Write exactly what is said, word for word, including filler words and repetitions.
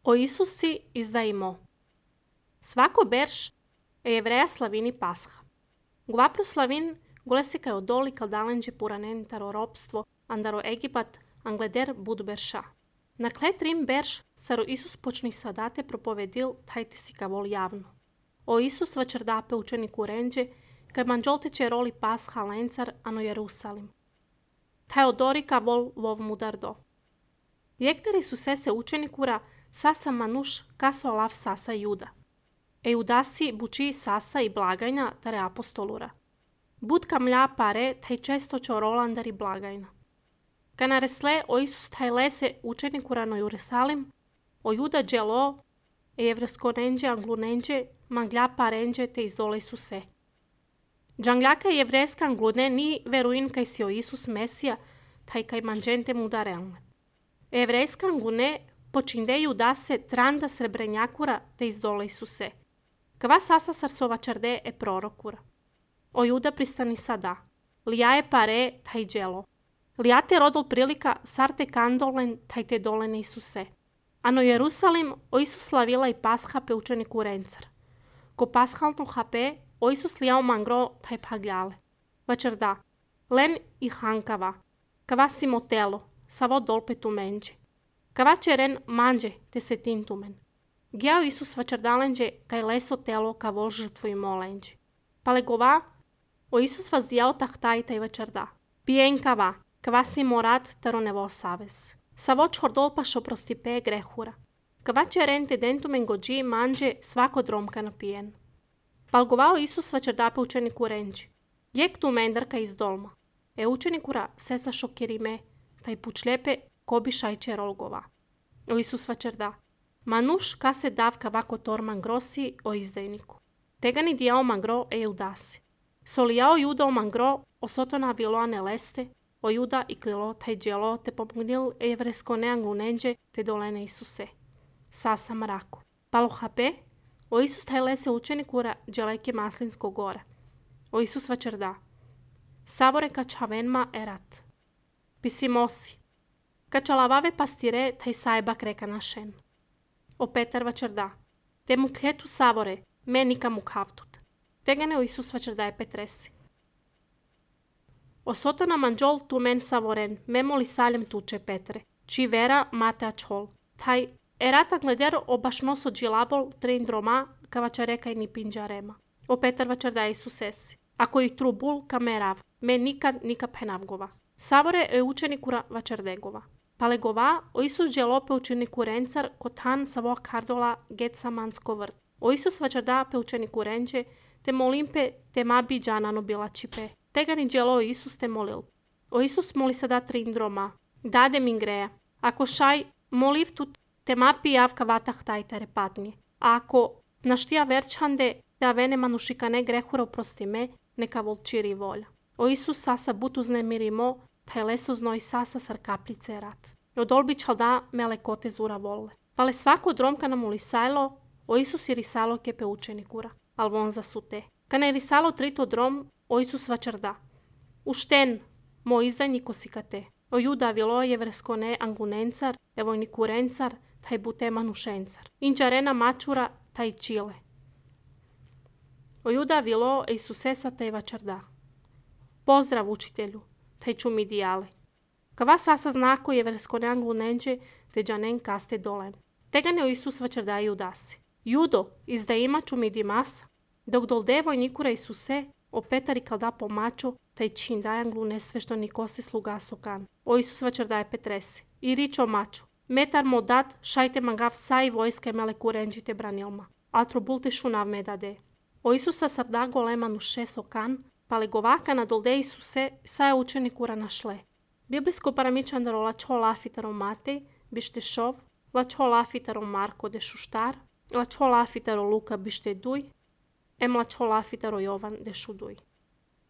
O Isusi izdajmo. Svako berš e jevreja slavini Pasha. Gua proslavin gulesika odoli kaldalenđe puranentaro ropstvo andaro Egipat angleder bud berša. Na kletrim berš saro Isus počni sadate propovedil tajte si kavol javno. O Isus vačerdape učeniku renđe kaj manđolteće roli Pasha lencar ano Jerusalim. Taj odori kavol vov mudar do. Jekteri su sese učenikura sasa manuš kaso lav sasa juda. E judasi buči sasa i blagajna tare apostolura. Budka mlja pare taj često čo rolandari blagajna. Kana resle o Isus taj lese učenikura no Jerusalim, o juda dželo, e jevresko nenđe anglu nenđe, manglja parenđe te izdole su se. Džangljaka jevreska anglune ni veruin kaj si o Isus Mesija, taj kaj manđente mudarelne. Evrejska anglune počindeju da se tranda srebrenjakura te izdole su se. Kva sasa sarsova čarde e prorokura. O juda pristani sada. Lija je pare taj dželo. Lija te rodol prilika sarte kandolen taj te dolene Isuse. Ano Jerusalim o Isus slavila i Pasha pe učeniku rencar. Ko pashalno hape o Isus lijao mangro taj pagljale. Vačarda. Len i hankava. Kva si motelo. Savo dolpe tu menđe. Kava čeren manđe te se tintumen. Gjao Isus vačardalenđe kaj leso telo ka vol žrtvo i molenđe. Pale gova, o Isus vas dijao tahtaj taj vačarda. Pijen kava, kava si morat taro nevo saves. Savo čhordol pa šoprosti pe grehura. Kava čeren te dentumen gođi manđe svako dromka napijen. Pal govao Isus vačardape učeniku renđe. Jek tu mendarka iz dolma. E učenikura sesa šokirime taj pučljepe kobi šajče rolgova. O Isus vačarda. Manuš ka se davka vako torman grosi o izdajniku. Tega ni dijao mangro e judasi. Solijao juda o mangro o sotona viloane leste, o juda i klilo taj djelo te pomognil e jevresko neanglu nenđe te dolene Isuse. Sasa mraku. Palo hape, o Isus taj lese učenikura dželeke maslinsko gora. O Isus vačarda. Savore ka čavenma erat. Pisimosi. Kačalavave pastire taj sajbak reka našen. O Petar vačarda. Te mu kletu savore, menika mu kavtut. Tegane o Isus vačarda je Petresi. O sotona manđol tu men savoren, memoli saljem tuče Petre. Či vera mate ačhol. Taj erata gleder o bašnoso džilabol trin droma ka vačareka i ni pinđarema. O Petar vačarda je Isusesi. Ako i trubul kamerav, me nikad nika penavgova. Savore e učenikura vačardegova. Palegova o Isus dželope učeniku rencar kotan savo kardola getsamansko vrt. O Isus vačarda pe učeniku renđe te molimpe te mabi džanano bila čipe. Tega ni dželo o Isus te molil. O Isus moli sada trindroma. Dade min greja. Ako šaj moliv tu te mapi javka vatah tajtare patnje. A ako naštija verčande te avene manušikane grehura oprosti me, neka volčiri volja. O Isus sasa but uznemirimo, taj leso znoj sasa sar kaplice rat. Od olbičal da mele kote zura volle. Pale svako dromka nam ulisajlo, o Isus i risalo kepe učenikura, al von za sute. Kana je risalo trito drom, o Isus vačarda. Ušten, mo izdajniko sikate. O juda vilo jevresko ne angunencar, evojniku rencar, taj bute manušencar. Inđarena mačura, taj čile. O juda vilo Isusesa taj vačarda. Pozdrav učitelju, taj čumi dijale. Kava sasa znako je versko neanglu nenđe, te džanen kaste dolen. Tega ne o Isus vačarda i judase. Judo, izda ima čumi dimasa, dok dol devoj nikura Isuse, o Petari kalda pomačo, taj čin dajanglu nesvešto nikose sluga sokan. O Isus vačarda je Petrese. I ričo mačo. Metar mo dat, šajte mangav saj vojske mele kurenđite branilma. Altro bulte šunav medade. O Isusa sarda golemanu šesokan, pale govaka na dolde Isuse saja učenikura našle. Biblijsko paramičandaro lačo lafitaro Matej, bište šov, lačo lafitaro Marko de šuštar, lačo lafitaro Luka bište duj, em lačo lafitaro Jovan de šuduj.